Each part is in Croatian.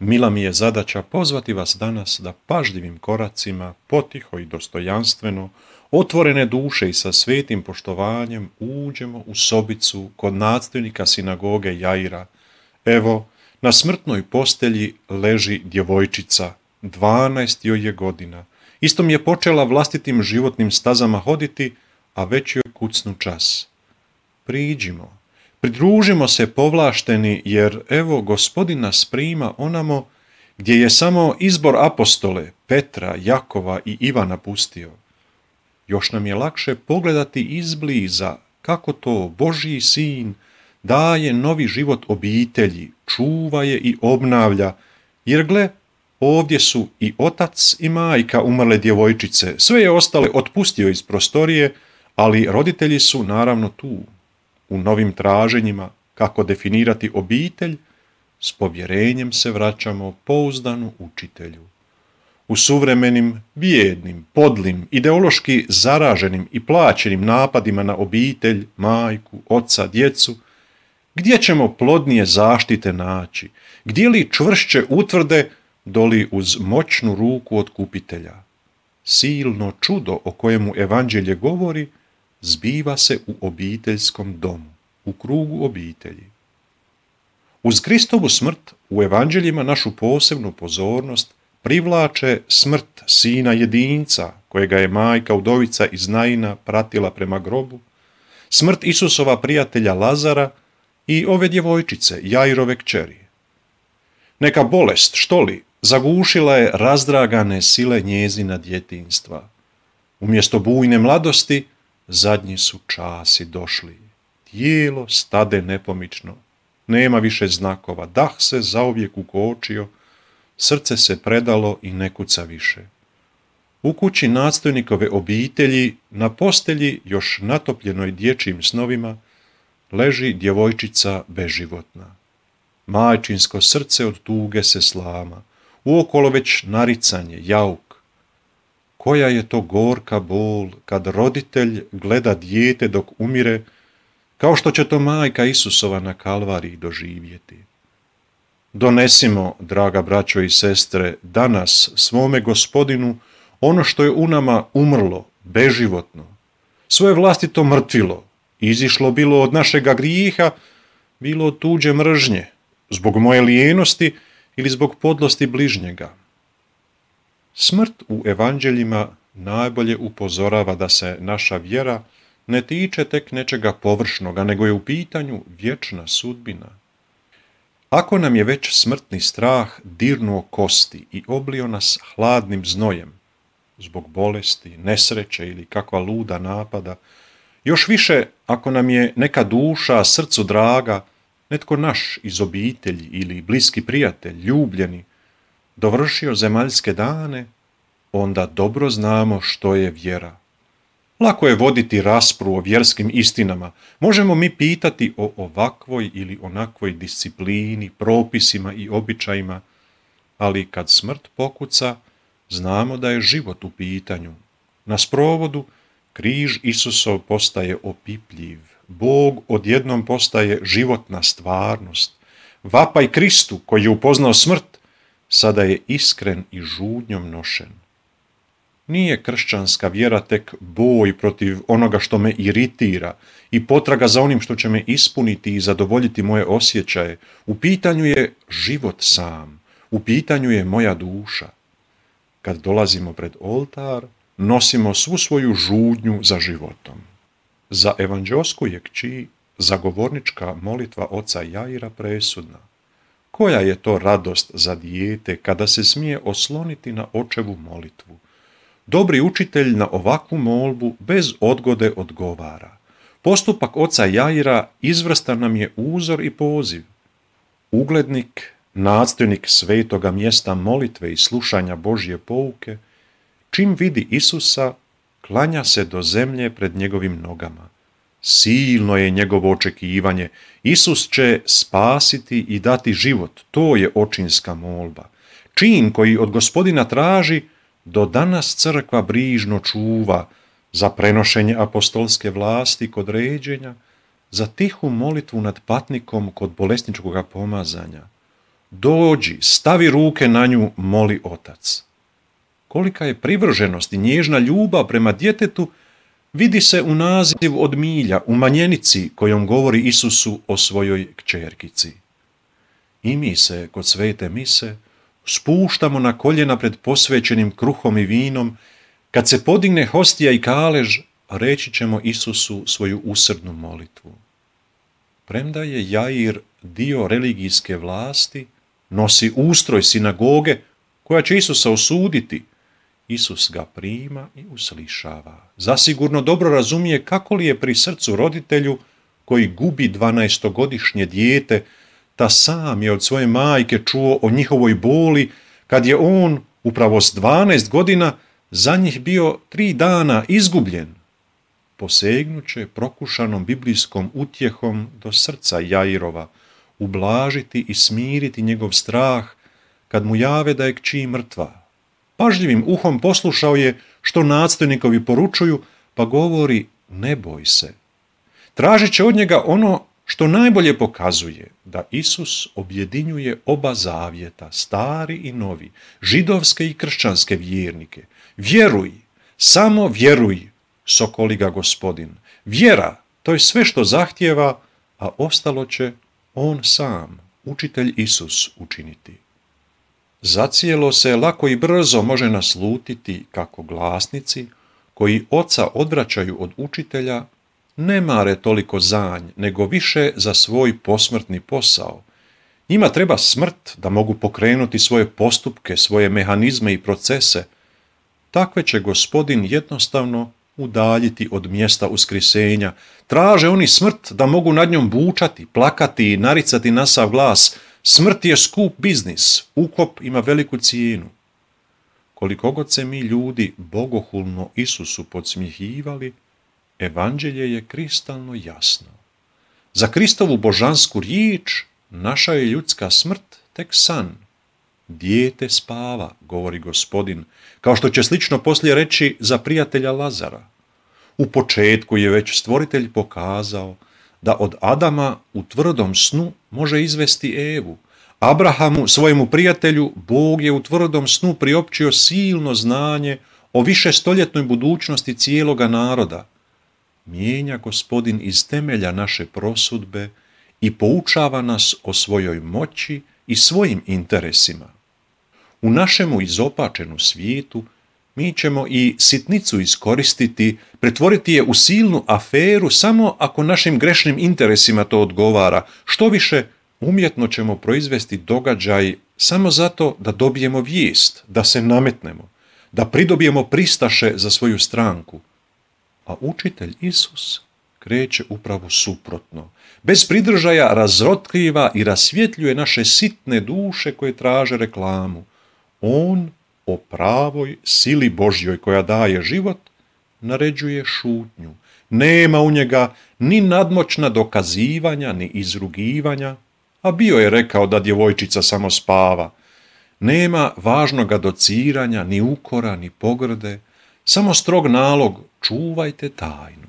Mila mi je zadaća pozvati vas danas da pažljivim koracima, potiho i dostojanstveno, otvorene duše i sa svetim poštovanjem uđemo u sobicu kod nadstojnika sinagoge Jaira. Evo, na smrtnoj postelji leži djevojčica, 12 joj je godina. Istom je počela vlastitim životnim stazama hoditi, a već joj kucnu čas. Priđimo, pridružimo se povlašteni, jer evo Gospodin nas prima onamo gdje je samo izbor apostole Petra, Jakova i Ivana pustio. Još nam je lakše pogledati izbliza kako to Božji sin daje novi život obitelji, čuva je i obnavlja, jer gle, ovdje su i otac i majka umrle djevojčice, sve je ostale otpustio iz prostorije, ali roditelji su naravno tu. U novim traženjima kako definirati obitelj, s povjerenjem se vraćamo pouzdanu učitelju. U suvremenim, bijednim, podlim, ideološki zaraženim i plaćenim napadima na obitelj, majku, oca, djecu, gdje ćemo plodnije zaštite naći, gdje li čvršće utvrde doli uz moćnu ruku otkupitelja? Silno čudo o kojemu evanđelje govori zbiva se u obiteljskom domu, u krugu obitelji. Uz Kristovu smrt u evanđeljima našu posebnu pozornost privlače smrt sina jedinca, kojega je majka udovica iz Naina pratila prema grobu, smrt Isusova prijatelja Lazara i ove djevojčice, Jairove kćeri. Neka bolest, što li, zagušila je razdragane sile njezina djetinjstva. Umjesto bujne mladosti, zadnji su časi došli. Tijelo stade nepomično. Nema više znakova. Dah se zauvijek ukočio. Srce se predalo i ne kuca više. U kući nadstojnikove obitelji, na postelji još natopljenoj dječjim snovima, leži djevojčica beživotna. Majčinsko srce od tuge se slama. Uokolo već naricanje, jauk. Koja je to gorka bol kad roditelj gleda dijete dok umire, kao što će to majka Isusova na Kalvariji doživjeti. Donesimo, draga braćo i sestre, danas svome Gospodinu ono što je u nama umrlo, beživotno, svoje vlastito mrtvilo, izišlo bilo od našega grijeha, bilo od tuđe mržnje, zbog moje lijenosti ili zbog podlosti bližnjega. Smrt u evanđeljima najbolje upozorava da se naša vjera ne tiče tek nečega površnoga, nego je u pitanju vječna sudbina. Ako nam je već smrtni strah dirnuo kosti i oblio nas hladnim znojem, zbog bolesti, nesreće ili kakva luda napada, još više ako nam je neka duša srcu draga, netko naš iz obitelji ili bliski prijatelj, ljubljeni, dovršio zemaljske dane, onda dobro znamo što je vjera. Lako je voditi raspravu o vjerskim istinama. Možemo mi pitati o ovakvoj ili onakvoj disciplini, propisima i običajima, ali kad smrt pokuca, znamo da je život u pitanju. Na sprovodu križ Isusov postaje opipljiv. Bog odjednom postaje životna stvarnost. Vapaj Kristu koji je upoznao smrt, sada je iskren i žudnjom nošen. Nije kršćanska vjera tek boj protiv onoga što me iritira i potraga za onim što će me ispuniti i zadovoljiti moje osjećaje. U pitanju je život sam, u pitanju je moja duša. Kad dolazimo pred oltar, nosimo svu svoju žudnju za životom. Za evanđeosku je kći zagovornička molitva oca Jaira presudna. Koja je to radost za dijete kada se smije osloniti na očevu molitvu? Dobri učitelj na ovakvu molbu bez odgode odgovara. Postupak oca Jaira izvrstan nam je uzor i poziv. Uglednik, nadstojnik svetoga mjesta molitve i slušanja Božje pouke, čim vidi Isusa, klanja se do zemlje pred njegovim nogama. Silno je njegovo očekivanje. Isus će spasiti i dati život. To je očinska molba. Čin koji od Gospodina traži, do danas crkva brižno čuva za prenošenje apostolske vlasti kod ređenja, za tihu molitvu nad patnikom kod bolesničkoga pomazanja. Dođi, stavi ruke na nju, moli otac. Kolika je privrženost i nježna ljubav prema djetetu vidi se u nazivu od milja, u manjenici kojom govori Isusu o svojoj kćerkici. I mi se kod svete mise spuštamo na koljena pred posvećenim kruhom i vinom. Kad se podigne hostija i kalež, reći ćemo Isusu svoju usrdnu molitvu. Premda je Jair dio religijske vlasti, nosi ustroj sinagoge koja će Isusa osuditi, Isus ga prima i uslišava. Zasigurno dobro razumije kako li je pri srcu roditelju koji gubi 12-godišnje dijete, ta sam je od svoje majke čuo o njihovoj boli kad je on upravo s 12 godina za njih bio 3 dana izgubljen. Posegnuće prokušanom biblijskom utjehom do srca Jairova, ublažiti i smiriti njegov strah kad mu jave da je kći mrtva. Pažljivim uhom poslušao je što nadstojnikovi poručuju, pa govori ne boj se. Tražit će od njega ono što najbolje pokazuje da Isus objedinjuje oba zavjeta, stari i novi, židovske i kršćanske vjernike. Vjeruj, samo vjeruj, sokoli ga Gospodin. Vjera, to je sve što zahtijeva, a ostalo će on sam, učitelj Isus, učiniti. Zacijelo se lako i brzo može naslutiti kako glasnici, koji oca odvraćaju od učitelja, ne mare toliko za nj, nego više za svoj posmrtni posao. Njima treba smrt da mogu pokrenuti svoje postupke, svoje mehanizme i procese. Takve će Gospodin jednostavno udaljiti od mjesta uskrisenja. Traže oni smrt da mogu nad njom bučati, plakati i naricati na sav glas. Smrt je skup biznis, ukop ima veliku cijenu. Koliko god se mi ljudi bogohulno Isusu podsmjehivali, evanđelje je kristalno jasno. Za Kristovu božansku riječ naša je ljudska smrt tek san. Dijete spava, govori Gospodin, kao što će slično poslije reći za prijatelja Lazara. U početku je već stvoritelj pokazao da od Adama u tvrdom snu može izvesti Evu. Abrahamu, svojemu prijatelju, Bog je u tvrdom snu priopćio silno znanje o višestoljetnoj budućnosti cijeloga naroda. Mijenja Gospodin iz temelja naše prosudbe i poučava nas o svojoj moći i svojim interesima. U našemu izopačenu svijetu mi ćemo i sitnicu iskoristiti, pretvoriti je u silnu aferu samo ako našim grešnim interesima to odgovara. Što više, umjetno ćemo proizvesti događaj samo zato da dobijemo vijest, da se nametnemo, da pridobijemo pristaše za svoju stranku. A učitelj Isus kreće upravo suprotno. Bez pridržaja razotkriva i rasvjetljuje naše sitne duše koje traže reklamu. On o pravoj sili Božjoj koja daje život naređuje šutnju. Nema u njega ni nadmoćna dokazivanja, ni izrugivanja, a bio je rekao da djevojčica samo spava. Nema važnoga dociranja, ni ukora, ni pogrde, samo strog nalog, čuvajte tajnu.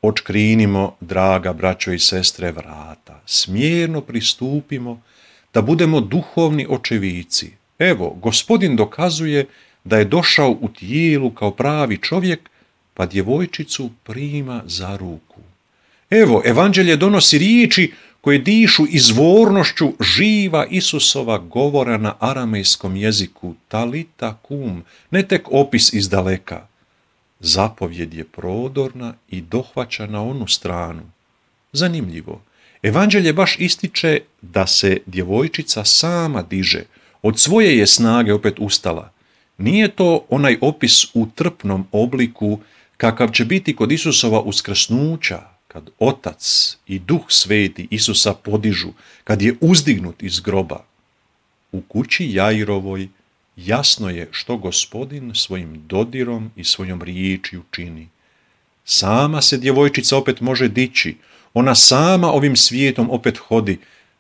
Odškrinimo, draga braćo i sestre, vrata, smjerno pristupimo da budemo duhovni očevici. Evo, Gospodin dokazuje da je došao u tijelu kao pravi čovjek, pa djevojčicu prima za ruku. Evo, evanđelje donosi riječi koje dišu izvornošću živa Isusova govora na aramejskom jeziku, talita kum, ne tek opis iz daleka. Zapovjed je prodorna i dohvaća na onu stranu. Zanimljivo, evanđelje baš ističe da se djevojčica sama diže, od svoje je snage opet ustala. Nije to onaj opis u trpnom obliku kakav će biti kod Isusova uskrsnuća, kad Otac i Duh Sveti Isusa podižu, kad je uzdignut iz groba. U kući Jairovoj jasno je što Gospodin svojim dodirom i svojom riječju čini. Sama se djevojčica opet može dići, ona sama ovim svijetom opet hodi,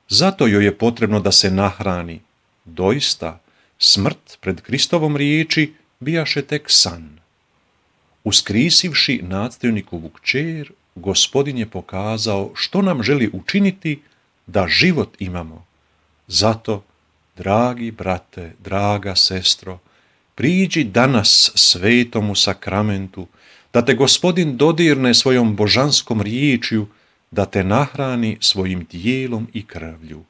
zato joj je potrebno da se nahrani. Doista, smrt pred Kristovom riječi bijaše tek san. Uskrisivši nadstojnikovu kćer, Gospodin je pokazao što nam želi učiniti da život imamo, Zato, dragi brate, draga sestro, priđi danas svetomu sakramentu, da te Gospodin dodirne svojom božanskom riječju, da te nahrani svojim tijelom i krvlju.